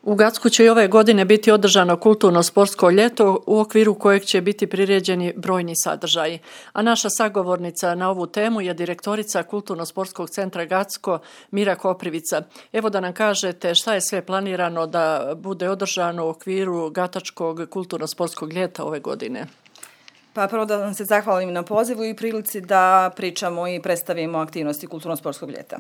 U Gacku će i ove godine biti održano kulturno-sportsko ljeto u okviru kojeg će biti priređeni brojni sadržaji. A naša sagovornica na ovu temu je direktorica Kulturno-sportskog centra Gacko Mira Koprivica. Evo da nam kažete šta je sve planirano da bude održano u okviru Gatačkog kulturno-sportskog ljeta ove godine. Pa prvo da vam se zahvalim na pozivu i prilici da pričamo i predstavimo aktivnosti kulturno-sportskog ljeta.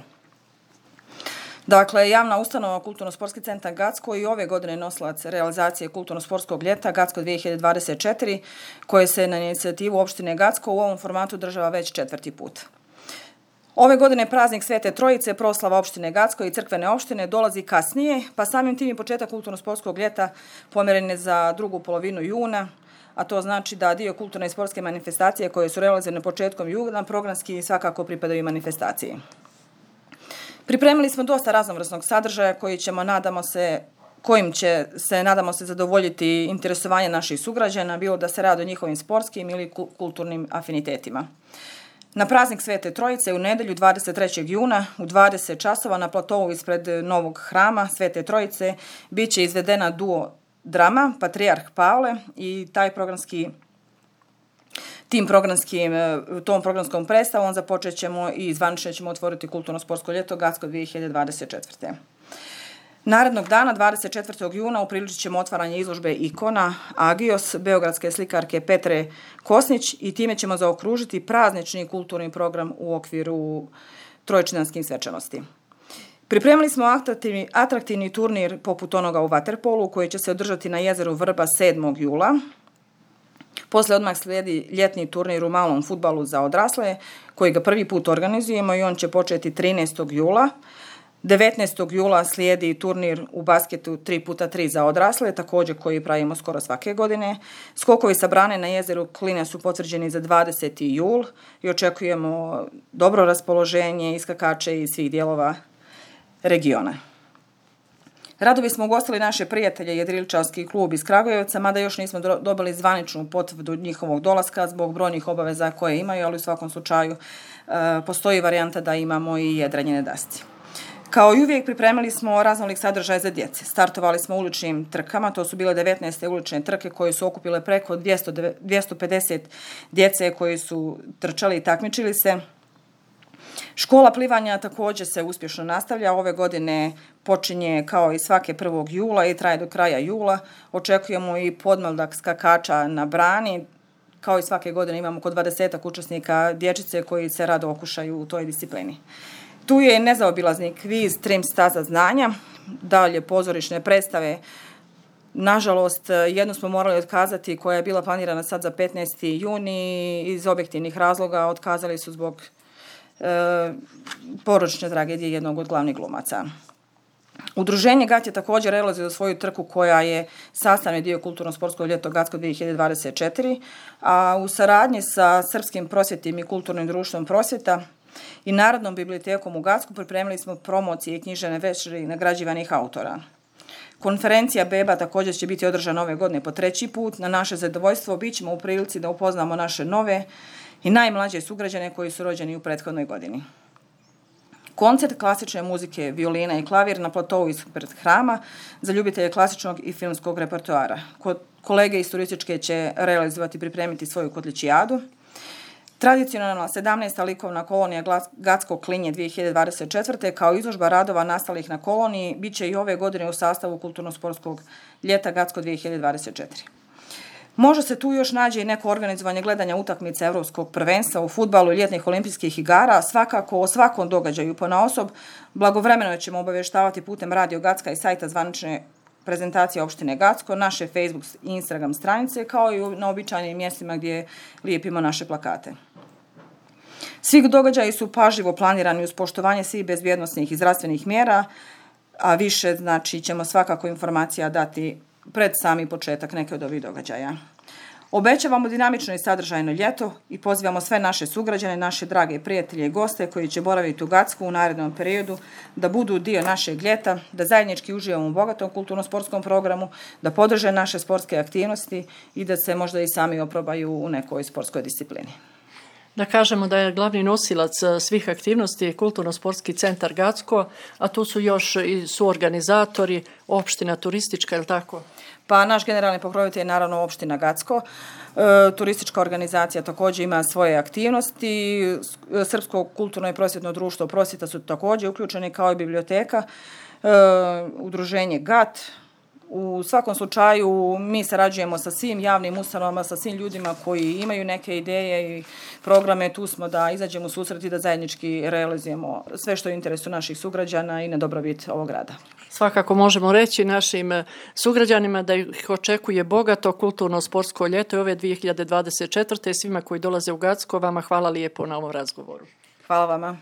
Dakle, javna ustanova Kulturno-sportski centar Gacko i ove godine nosilac realizacije kulturno-sportskog ljeta Gacko 2024, koje se na inicijativu opštine Gacko u ovom formatu država već 4. put. Ove godine praznik Svete Trojice, proslava opštine Gacko i crkvene opštine dolazi kasnije, pa samim tim i početak kulturno-sportskog ljeta pomjeren je za drugu polovinu juna, a to znači da dio kulturne i sportske manifestacije koje su realizirane početkom juna programski svakako pripadaju manifestaciji. Pripremili smo dosta raznovrsnog sadržaja kojim će se, nadamo se, zadovoljiti interesovanje naših sugrađana, bilo da se radi o njihovim sportskim ili kulturnim afinitetima. Na praznik Svete Trojice u nedjelju 23. juna u 20 časova na platovu ispred novog hrama Svete Trojice bit će izvedena duo drama Patrijarh Pavle i tom programskom predstavom započet ćemo i zvanično ćemo otvoriti kulturno-sportsko ljeto Gacko 2024. Narednog dana, 24. juna, upriličit ćemo otvaranje izložbe ikona Agios beogradske slikarke Petre Kosnić i time ćemo zaokružiti praznični kulturni program u okviru trojčinanskih svečanosti. Pripremili smo atraktivni turnir poput onoga u vaterpolu koji će se održati na jezeru Vrba 7. jula. Poslije odmah slijedi ljetni turnir u malom fudbalu za odrasle, koji ga prvi put organizujemo i on će početi 13. jula. 19. jula slijedi turnir u basketu 3x3 za odrasle, također koji pravimo skoro svake godine. Skokovi sa brane na jezeru Kline su potvrđeni za 20. jul i očekujemo dobro raspoloženje iskakače iz svih dijelova regiona. Radovi smo ugostili naše prijatelje Jedriličarski klub iz Kragujevca, mada još nismo dobili zvaničnu potvrdu njihovog dolaska zbog brojnih obaveza koje imaju, ali u svakom slučaju postoji varijanta da imamo i jedrenje na dasci. Kao i uvijek pripremili smo raznolik sadržaj za djece. Startovali smo uličnim trkama, to su bile 19. ulične trke koje su okupile preko 250 djece koji su trčali i takmičili se. Škola plivanja također se uspješno nastavlja. Ove godine počinje kao i svake 1. jula i traje do kraja jula. Očekujemo i podmladak skakača na brani. Kao i svake godine imamo oko 20 učesnika dječice koji se rado okušaju u toj disciplini. Tu je nezaobilazni kviz Trim staza znanja, dalje pozorišne predstave. Nažalost, jednu smo morali otkazati koja je bila planirana sad za 15. juni iz objektivnih razloga. Otkazali su zbog porodične tragedije jednog od glavnih glumaca. Udruženje GAT je također realiziralo svoju trku koja je sastavni dio kulturno-sportskog ljeto Gacko 2024, a u saradnji sa Srpskim prosvjetnim i kulturnim društvom Prosvjeta i Narodnom bibliotekom u Gacku pripremili smo promocije i književne večeri nagrađivanih autora. Konferencija Beba također će biti održana ove godine po 3. put. Na naše zadovoljstvo bit ćemo u prilici da upoznamo naše nove i najmlađe sugrađane koji su rođeni u prethodnoj godini. Koncert klasične muzike, violina i klavir na platovu ispred hrama za ljubitelje klasičnog i filmskog repertoara. Kolege iz turističke će realizovati i pripremiti svoju kotličijadu. Tradicionalna 17. likovna kolonija Gacko Klinje 2024. kao izložba radova nastalih na koloniji bit će i ove godine u sastavu kulturno-sportskog ljeta Gacko 2024. Možda se tu još nađe i neko organizovanje gledanja utakmice Europskog prvenstva u fudbalu i ljetnih olimpijskih igara. Svakako o svakom događaju ponaosob blagovremeno ćemo obavještavati putem Radio Gacka i sajta zvanične prezentacije opštine Gacko, naše Facebook i Instagram stranice, kao i na običajnim mjestima gdje lijepimo naše plakate. Svi događaji su pažljivo planirani uz poštovanje svih bezbjednosnih i zdravstvenih mjera, a više ćemo svakako informacija dati pred sami početak neke od ovih događaja. Obećavamo dinamično i sadržajno ljeto i pozivamo sve naše sugrađane, naše drage prijatelje i goste koji će boraviti u Gacku u narednom periodu da budu dio našeg ljeta, da zajednički uživamo u bogatom kulturno-sportskom programu, da podrže naše sportske aktivnosti i da se možda i sami oprobaju u nekoj sportskoj disciplini. Da kažemo da je glavni nosilac svih aktivnosti Kulturno-sportski centar Gacko, a tu su još i suorganizatori, opština turistička, je li tako? Pa naš generalni pokrovitelj je naravno opština Gacko. Turistička organizacija također ima svoje aktivnosti. Srpsko kulturno i prosvjetno društvo Prosvjeta su također uključeni kao i biblioteka, udruženje GAT. U svakom slučaju mi sarađujemo sa svim javnim ustanovama, sa svim ljudima koji imaju neke ideje i programe. Tu smo da izađemo u susret i da zajednički realizujemo sve što je u interesu naših sugrađana i na dobrobit ovog grada. Svakako možemo reći našim sugrađanima da ih očekuje bogato kulturno-sportsko ljeto i ove 2024. Svima koji dolaze u Gacko, vama hvala lijepo na ovom razgovoru. Hvala vama.